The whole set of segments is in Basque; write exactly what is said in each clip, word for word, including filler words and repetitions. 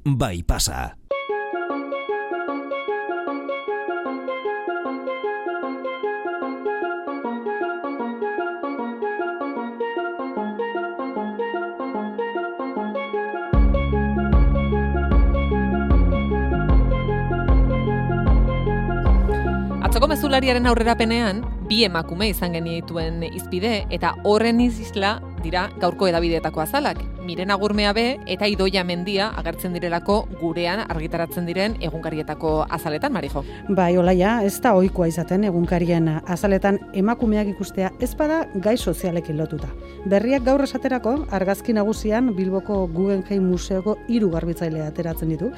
bai pasa. Atzoko mezulariaren aurrerapenean, bi emakume izan genituen izpide eta horren isla dira gaurko edabideetako azalak. Miren Agurmea be eta Idoia Mendia agertzen direlako gurean argitaratzen diren egunkarietako azaletan, Marijo. Bai, Olaia, ez da ohikoa izaten egunkarien azaletan emakumeak ikustea ez bada gai sozialekin lotuta. Berriak gaur esaterako argazki nagusian Bilboko Guggenheim Museoko hiru garbitzaile ateratzen ditu.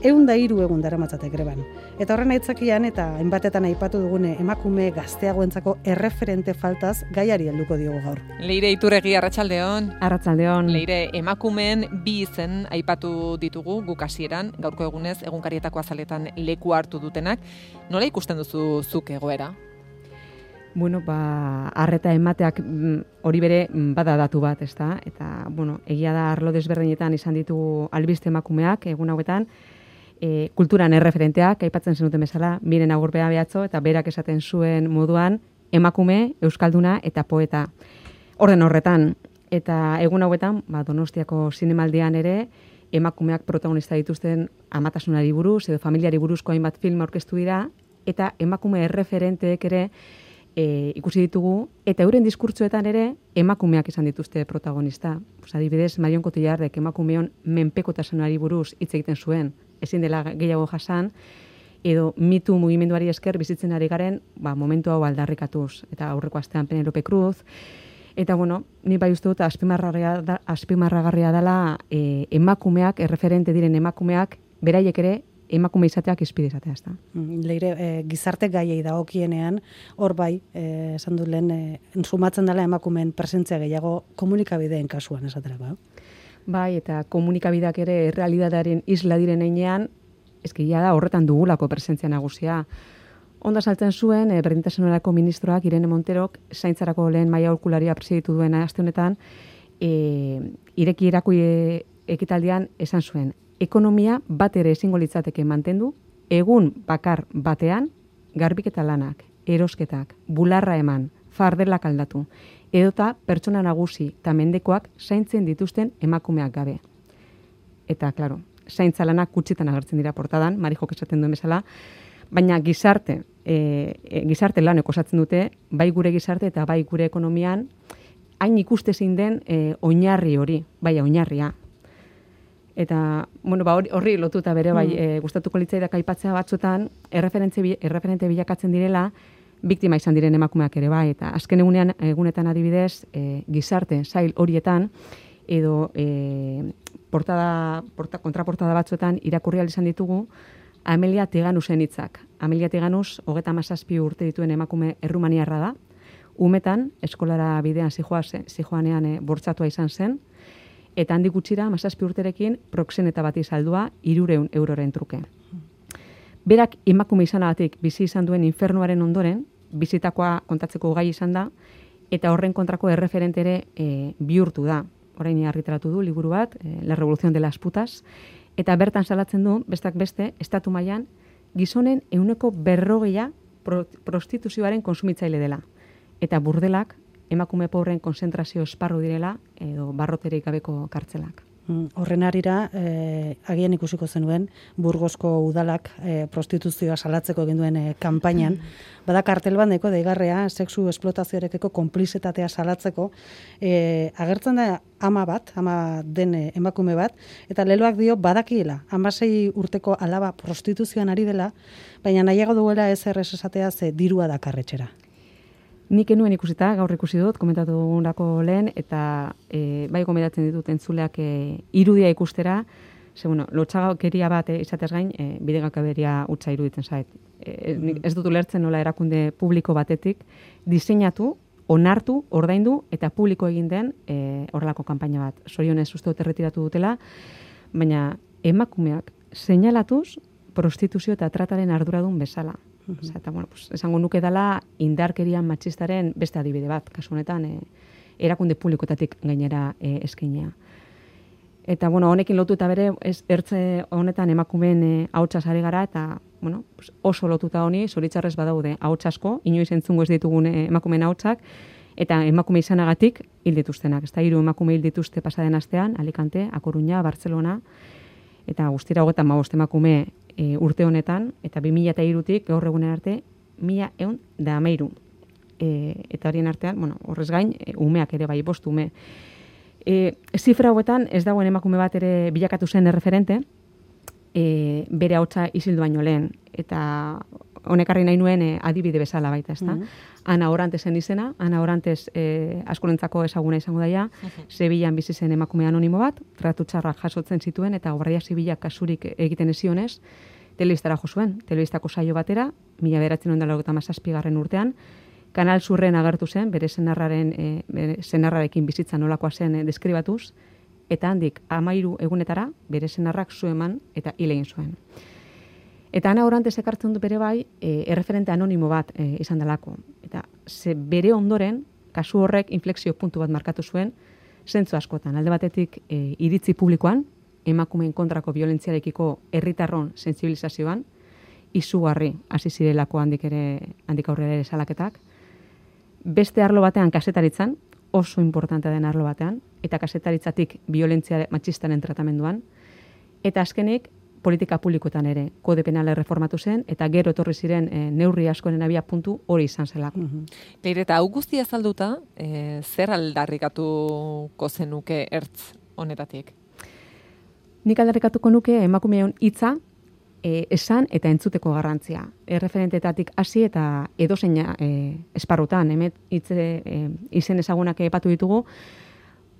Ehun da hiru egun daramatzate greban. Eta horren aitzakian eta hainbatetan aipatu dugune emakume gazteagoentzako erreferente faltaz gaiari helduko diogu gaur. Leire Iturregi, arratsaldeon. Arratsaldeon. Leire, emakumeen bi izen aipatu ditugu guk hasieran, gaurko egunez egunkarietako azaletan leku hartu dutenak. Nola ikusten duzu zuk egoera? Bueno, ba, arreta emateak hori bere bada datu bat, ezta? Eta, bueno, egia da arlo desberdinetan izan ditugu albiste emakumeak egun hauetan, e, kulturan erreferenteak, aipatzen zenuten bezala, Miren Agurmea behatzo, eta berak esaten zuen moduan, emakume, euskalduna eta poeta. Orden horretan, eta egun hauetan, ba, Donostiako zinemaldian ere, emakumeak protagonista dituzten amatasunari buruz, edo familiari buruzko hainbat film aurkeztu dira, eta emakume erreferenteek ere e, ikusi ditugu, eta euren diskurtsoetan ere emakumeak izan dituzte protagonista. Pues, adibidez, Marion Cotillardek emakumeon menpekotasunari buruz hitz egiten zuen, ezin dela gehiago jasan, edo mitu mugimenduari esker bizitzen ari garen, ba, momentu hau aldarrikatuz, eta aurreko astean Penelope Cruz. Eta, bueno, ni bai uste dut azpimarragarria da, azpimarragarria dela e, emakumeak, erreferente diren emakumeak, beraiek ere emakume izateak izpide izatea, ezta. Leire, e, gizarte gaiei dagokienean, hor bai, e, esan dut lehen, e, sumatzen dela emakumeen presentzia gehiago komunikabideen kasuan esaterako. Bai, eta komunikabideak ere errealitatearen isla diren heinean, ezkia da horretan dugulako presentzia nagusia. Onda saltzen zuen, e, berdintasunerako ministroak Irene Monterok zaintzarako lehen maila aholkularia presiditu duen aste honetan, e, ireki irakui e, ekitaldian esan zuen, ekonomia bat ere ezingo litzateke mantendu, egun bakar batean, garbiketa lanak, erosketak, bularra eman, fardelak aldatu, edota pertsona nagusi eta mendekoak zaintzen dituzten emakumeak gabe. Eta, klaro, zaintza lanak kutsitan agertzen dira portadan, Marijok esaten duen bezala, baina gizarte, e, e, gizarte lanek osatzen dute, bai gure gizarte eta bai gure ekonomian, hain ikustezin den e, oinarri hori, bai oinarria. Eta, bueno, ba, horri lotuta bere, bai, e, gustatuko litzaidak aipatzea batzuetan, erreferente, erreferente bilakatzen direla, biktima izan diren emakumeak ere bai, eta azken egunean, egunetan adibidez, e, gizarte, sail horietan, edo e, portada, porta, kontraportada batzuetan irakurri ahal izan ditugu, Amelia Teganusen hitzak. Amelia Teganus, hogeta hamazazpi urte dituen emakume errumaniarra da, umetan, eskolara bidean zijoanean e, bortzatua izan zen, eta handik gutxira, hamazazpi urterekin, proxeneta bati saldua, hirureun euroren truke. Berak emakume izanagatik bizi izan duen infernuaren ondoren, bizitakoa kontatzeko gai izan da, eta horren kontrako erreferente ere e, bihurtu da. Orain argitaratu du liburu bat, e, La Revolución de las Putas, eta bertan salatzen du, bestak beste, estatu mailan gizonen ehuneko berrogeia pro, prostituzioaren konsumitzaile dela. Eta burdelak emakume pobreen konzentrazio esparru direla, edo barroterik gabeko kartzelak. Horren arira, eh, agian ikusiko zenuen, Burgosko udalak eh, prostituzioa salatzeko egin duen eh, kanpainan, bada kartel bandeko deigarrea sexu esplotazioarekiko konplizitatea salatzeko, eh, agertzen da ama bat, ama den eh, emakume bat, eta leloak dio badakiela, hamasei urteko alaba prostituzioan ari dela, baina nahiago duela ez errez esatea ze dirua dakarretxera. Nik enuen ikusita, gaur ikusi dut, komentatu dugulako lehen, eta e, bai gomendatzen ditut entzuleak e, irudia ikustera, ze, bueno, lotxakeria bat e, izateaz gain, e, bidegakaberia utza iruditzen zait. E, mm. Ez dut ulertzen nola erakunde publiko batetik, diseinatu, onartu, ordaindu, eta publiko egin den e, horrelako kanpaina bat. Zorionez uste dut erretiratu dutela, baina emakumeak seinalatuz prostituzio eta trataren arduradun bezala. Osa, eta, bueno, pues, esango nuke dela indarkerian matxistaren beste adibide bat, kasu honetan, e, erakunde publikoetatik gainera e, eskeinea. Eta, bueno, honekin lotuta bere, ez ertze honetan emakumeen e, ahotsaz ari gara, eta, bueno, oso lotuta honi, zoritzarrez badaude ahots asko, inoiz entzungo ez ditugun e, emakumeen ahotsak, eta emakume izanagatik hil dituztenak. Ez da, hiru emakume hil dituzte pasaden astean, Alicante, A Coruña, Barcelona, eta guztira hogeita hamabost emakume e, urte honetan, eta bi mila hirutik gaur egunen arte, mila ehun da hamairu. E, eta horien artean, bueno, horrez gain, e, umeak ere bai, bost ume. E, zifra hauetan ez dagoen emakume bat ere bilakatu zen erreferente, e, bere ahotsa isildu baino lehen, eta honekarri nahi nuen e, adibide bezala baita, ezta? Mm -hmm. Ana Orantezen izena, Ana Orantes e, askorentzako ezaguna izango daia, mm -hmm. Sevillan bizi zen emakume anonimo bat, tratu txarrak jasotzen zituen, eta Guardia Zibilak kasurik egiten ezionez, telebistara jo zuen, telebistako saio batera, mila bederatziehun eta laurogeita hamazazpigarren urtean, Kanal Surren agertu zen, bere senarraren, e, bere senarrarekin bizitza nolakoa zen e, deskribatuz, eta handik hamairu egunetara bere senarrak zu eman eta hil egin zuen. Eta Ana Orantes ekartzen du bere bai, e, erreferente anonimo bat e, izan delako. Eta ze bere ondoren, kasu horrek inflexio puntu bat markatu zuen, zentzu askotan. Alde batetik e, iritzi publikoan, emakumeen kontrako violentziarekiko herritarron sentsibilizazioan, izugarri hasi zirelako handik ere handik aurrera ere salaketak. Beste arlo batean kazetaritzan, oso importante den arlo batean, eta kasetaritzatik violentzia matxistaren tratamenduan, eta azkenik politika publikoetan ere kode penala reformatu zen, eta gero etorri ziren e, neurri askoren abia puntu hori izan zelako. Mm-hmm. Leire, eta hau guztia azalduta, e, zer aldarrikatuko zenuke ertz honetatik? Nik aldarrikatuko nuke emakumeon hitza, E, esan eta entzuteko garrantzia. Erreferentetatik hasi eta edozein e, esparrutan, hemet hitze e, izen ezagunak epatu ditugu,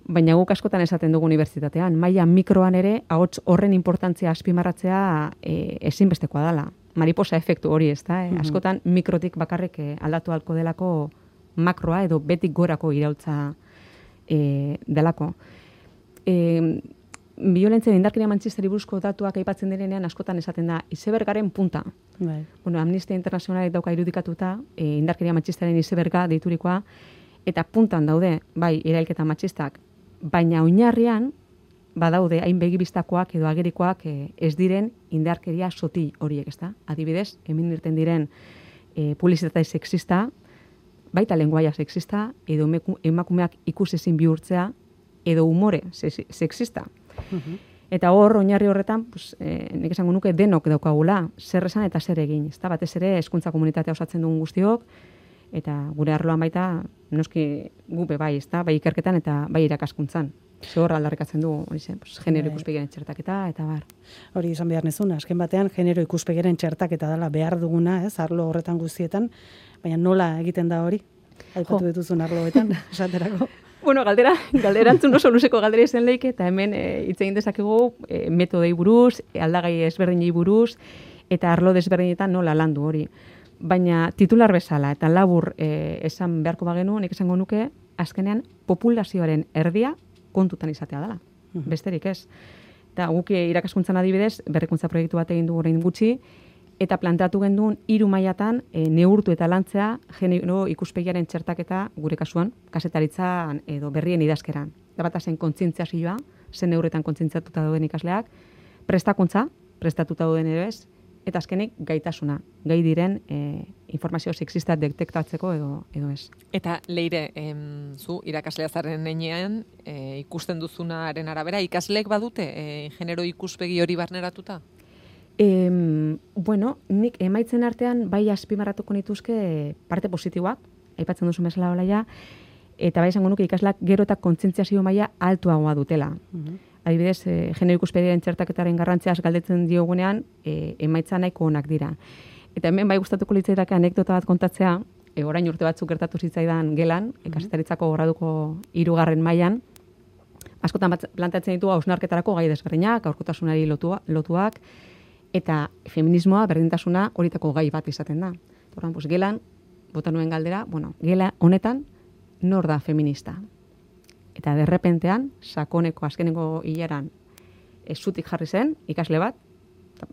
baina guk askotan esaten dugu unibertsitatean. Maila mikroan ere, ahots horren importantzia azpimarratzea e, ezinbestekoa dela. Mariposa efektu hori, ez da? E, askotan mikrotik bakarrik e, aldatu halko delako makroa edo betik gorako iraultza e, delako. E, Violentzia indarkeria matxistari buruzko datuak aipatzen direnean askotan esaten da izebergaren punta. Bai. Bueno, Amnistia Internazionalek dauka irudikatuta, e, indarkeria matxistaren izeberga deiturikoa, eta puntan daude, bai, erailketa matxistak, baina oinarrian badaude hain begibistakoak edo agerikoak e, ez diren indarkeria sotil horiek, ezta? Adibidez, hemen irten diren e, publizitate sexista, baita lenguaia sexista, edo emakumeak ikusezin bihurtzea, edo umore sexista. Uh-huh. Eta hor, oinarri horretan, pues, eh, nik esango nuke denok daukagula, zer esan eta zer egin. Ezta? Batez ere, hezkuntza komunitatea osatzen dugun guztiok, eta gure arloan baita, noski gupe bai, ezta? Bai ikerketan eta bai irakaskuntzan. Zor aldarrikatzen du, hori zen, pues, genero ikuspegiaren txertaketa, eta bar. Hori izan behar nezuna, azken batean, genero ikuspegiaren txertaketa dela behar duguna, ez, arlo horretan guztietan, baina nola egiten da hori? Aipatu dituzun arloetan, esaterako. Bueno, galdera, galderantzun oso luzeko galdera izan leike, eta hemen e, hitz egin dezakegu e, metodei buruz, e, aldagai ezberdinei buruz, eta arlo desberdinetan nola landu hori. Baina titular bezala, eta labur e, esan beharko bagenu, nik esango nuke, azkenean populazioaren erdia kontutan izatea dela. Uh-huh. Besterik ez. Eta guk irakaskuntzan adibidez, berrikuntza proiektu bat egin du orain gutxi, eta planteatu genduen hiru mailatan e, neurtu eta lantzea genero ikuspegiaren txertaketa gure kasuan, kazetaritzan edo berrien idazkeran. Da bat zen kontzientziazioa, zen neurretan kontzientziatuta dauden ikasleak, prestakuntza, prestatuta dauden ere ez, eta azkenik gaitasuna, gai diren e, informazio sexista detektatzeko edo edo ez. Eta Leire, em, zu irakaslea zaren heinean, e, ikusten duzunaren arabera, ikasleek badute e, genero ikuspegi hori barneratuta? E, bueno, nik emaitzen artean bai azpimarratuko nituzke parte positiboak, aipatzen duzu bezala Olaia, eta bai esango nuke ikaslak gero eta kontzientziazio maila altuagoa dutela. Uh-huh. Adibidez, e, genero ikuspegiaren txertaketaren garrantziaz galdetzen diogunean, e, emaitza nahiko onak dira. Eta hemen bai gustatuko litzaidake anekdota bat kontatzea, e, orain urte batzuk gertatu zitzaidan gelan, uh-huh. kazetaritzako graduko hirugarren mailan, askotan planteatzen ditu hausnarketarako gai desberdinak, aurkotasunari lotua, lotuak, eta feminismoa, berdintasuna horitako gai bat izaten da. Orduan, pues, gelan, bota nuen galdera, bueno, gela honetan nor da feminista. Eta derrepentean, sakoneko azkeneko hilaran ez zutik jarri zen, ikasle bat,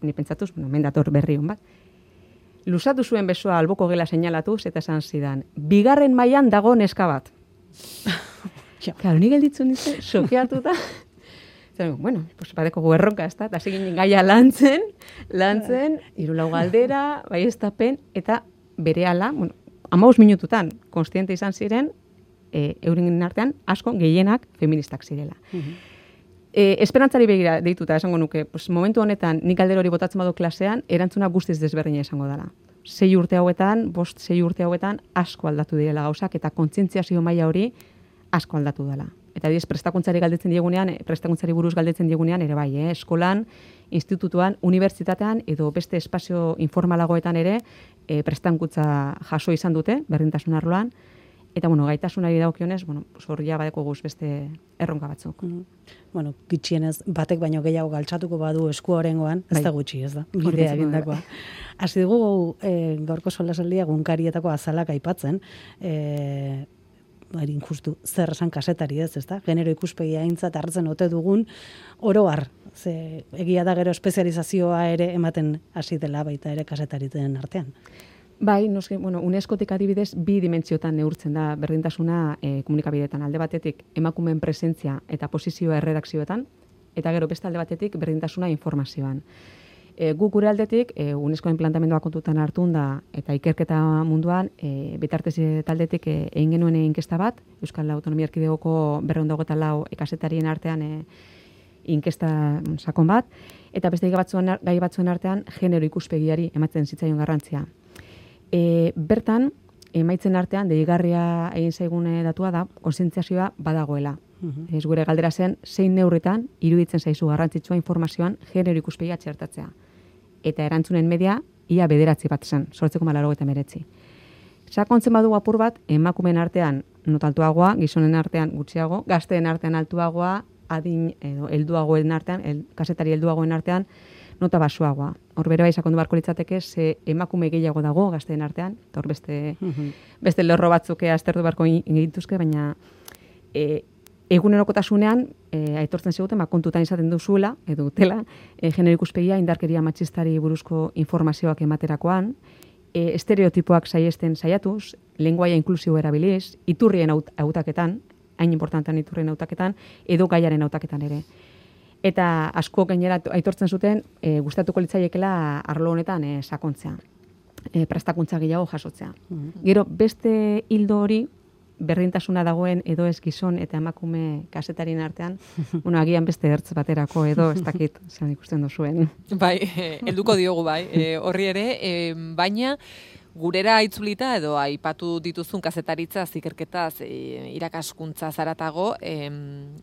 ni pentsatuz, bueno, mendator berri hon bat, luzatu zuen besoa alboko gela seinalatuz, eta esan zidan, bigarren mailan dago neska bat. Claro, ni gelditzen ditu, sokeatuta. Zer, bueno, pues badeko guerronka, ez da? Eta ziginen gaia lantzen, lantzen, irulau galdera, bai estapen, eta berehala, bueno, hamabost minututan, konstiente izan ziren, e, euren artean, asko gehienak feministak zirela. E, esperantzari begira deituta esango nuke, pues, momentu honetan nik galdera hori botatzen badu klasean, erantzuna guztiz desberdina izango dela. Sei urte hauetan, bost sei urte hauetan, asko aldatu direla gauzak, eta kontzientziazio maila hori asko aldatu dela. Eta diez, prestakuntzari galdetzen diegunean, prestakuntzari buruz galdetzen diegunean, ere bai, eh? Eskolan, institutuan, unibertsitatean, edo beste espazio informalagoetan ere, e, prestakuntza jaso izan dute, berdintasun arloan, eta, bueno, gaitasunari dagokionez, bueno, hor ja badeko guz beste erronka batzuk. Mm. Bueno, gitxienez, batek baino gehiago galtzatuko badu esku horrengoan, ez da gutxi, ez da, bidea egindakoa. Hasi dugu, e, gaurko solasaldia gunkarietako azalak aipatzen, e, harin justu zer esan kasetari ez, ezta? Genero ikuspegia aintzat hartzen ote dugun oro har. Ze egia da gero espezializazioa ere ematen hasi dela baita ere kasetaritzen artean. Bai, noski, bueno, UNESCOtik adibidez bi dimentsiotan neurtzen da berdintasuna e, komunikabideetan. Alde batetik emakumeen presentzia eta posizioa erredakzioetan, eta gero beste alde batetik berdintasuna informazioan. E, guk gure aldetik, e, UNESCOen planteamendua kontutan hartun da, eta ikerketa munduan, e, bitartez taldetik e, egin genuen inkesta bat, Euskal Autonomia Erkidegoko berrehun eta hogeita lau kazetarien artean e, inkesta sakon bat, eta beste gai batzuen, gai batzuen artean genero ikuspegiari ematen zitzaion garrantzia. E, bertan, emaitzen artean, deigarria egin zaigune datua da, kontzientziazioa badagoela. Uh-huh. Ez gure galdera zen, zein neurritan iruditzen zaizu garrantzitsua informazioan genero ikuspegia txertatzea. Eta erantzunen media, ia bederatzi bat zen, sortzeko malaro eta meretzi. Sakontzen badu apur bat, emakumeen artean notaltuagoa, gizonen artean gutxiago, gazteen artean altuagoa, adin edo helduagoen artean, el, kasetari helduagoen artean, nota basuagoa. Hor bere bai sakondu barko litzateke, ze emakume gehiago dago gazteen artean, eta hor beste, uh-huh. beste lerro batzuke aztertu barko egituzke, baina e, egunerokotasunean e, aitortzen ziguten, kontutan izaten duzuela, edo dutela, e, genero ikuspegia indarkeria matxistari buruzko informazioak ematerakoan, e, estereotipoak saiesten saiatuz, lenguaia inklusibo erabiliz, iturrien hautaketan, hain importantean iturrien hautaketan, edo gaiaren hautaketan ere. Eta asko gainera aitortzen zuten, e, gustatuko litzaiekela arlo honetan e, sakontzea, e, prestakuntza gehiago jasotzea. Mm-hmm. Gero beste hildo hori, berdintasuna dagoen edo ez gizon eta emakume kasetarien artean, bueno, agian beste ertz baterako edo ez dakit, zelan ikusten duzuen. Bai, helduko diogu bai, e, horri ere, e, baina gurera itzulita edo aipatu dituzun kazetaritza, zikerketaz, e, irakaskuntza zaratago, e,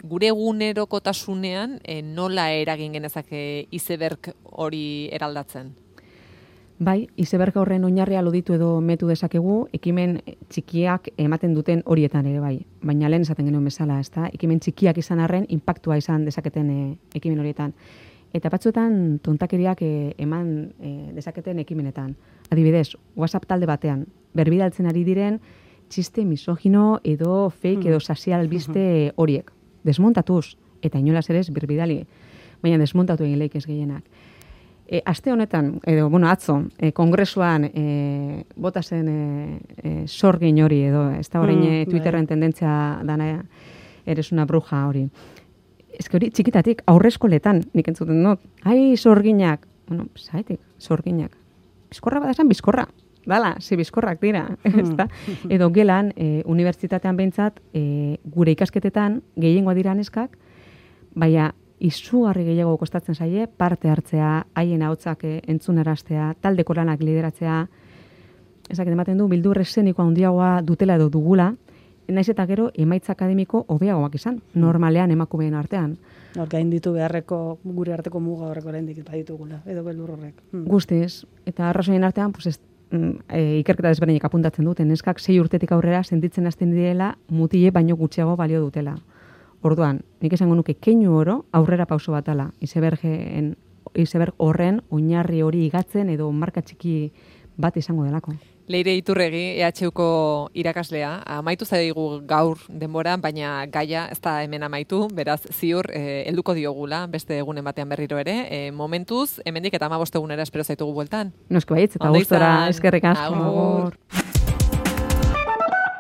gure egunerokotasunean e, nola eragin genezake izeberg hori eraldatzen? Bai, izeberg horren oinarria loditu edo metu dezakegu, ekimen txikiak ematen duten horietan ere bai. Baina lehen esaten genuen bezala, ezta? Ekimen txikiak izan arren, inpaktua izan dezaketen e, ekimen horietan. Eta batzuetan tontakeriak e, eman e, dezaketen ekimenetan. Adibidez, WhatsApp talde batean, berbidaltzen ari diren txiste misogino edo fake edo sasial albiste horiek. Desmontatuz, eta inolaz ere ez berbidali, baina desmontatu egin leik ez gehienak. E, aste honetan, edo, bueno, atzo, e, kongresuan e, bota zen e, e, sorgin hori, edo, ez da horrein mm, Twitterren tendentzia dana eres una bruja hori. Ez hori txikitatik, aurreskoletan, nik entzuten dut, ai, sorginak, bueno, zaitik, sorginak. Bizkorra badazan, bizkorra. Dala, zi bizkorrak dira. Mm. Edo gelan, e, unibertsitatean behintzat, e, gure ikasketetan, gehiengoa dira neskak, baina izugarri gehiago kostatzen zaie, parte hartzea, haien ahotsak entzunaraztea, taldeko lanak lideratzea, ezak ematen du, bildur eszenikoa handiagoa dutela edo dugula, naiz eta gero emaitza akademiko hobeagoak izan, normalean emakumeen artean. Hor gain ditu beharreko, gure arteko muga horrek oraindik baditugula, edo beldur horrek. Hmm. Guztiz, eta arrazoien artean, pues ez, e, ikerketa desberdinek apuntatzen duten, neskak sei urtetik aurrera sentitzen hasten direla mutile baino gutxiago balio dutela. Orduan, nik esango nuke keinu oro aurrera pauso batala, izebergen, izeberg horren oinarri hori igatzen edo marka txiki bat izango delako. Leire Iturregi, E H Uko irakaslea, amaitu zaigu gaur denboran, baina gaia ez da hemen amaitu, beraz ziur eh, helduko diogula, beste egunen batean berriro ere, eh, momentuz, hemendik eta hamabost egunera espero zaitugu bueltan. Noski baietz, eta gustora eskerrik asko. Agur.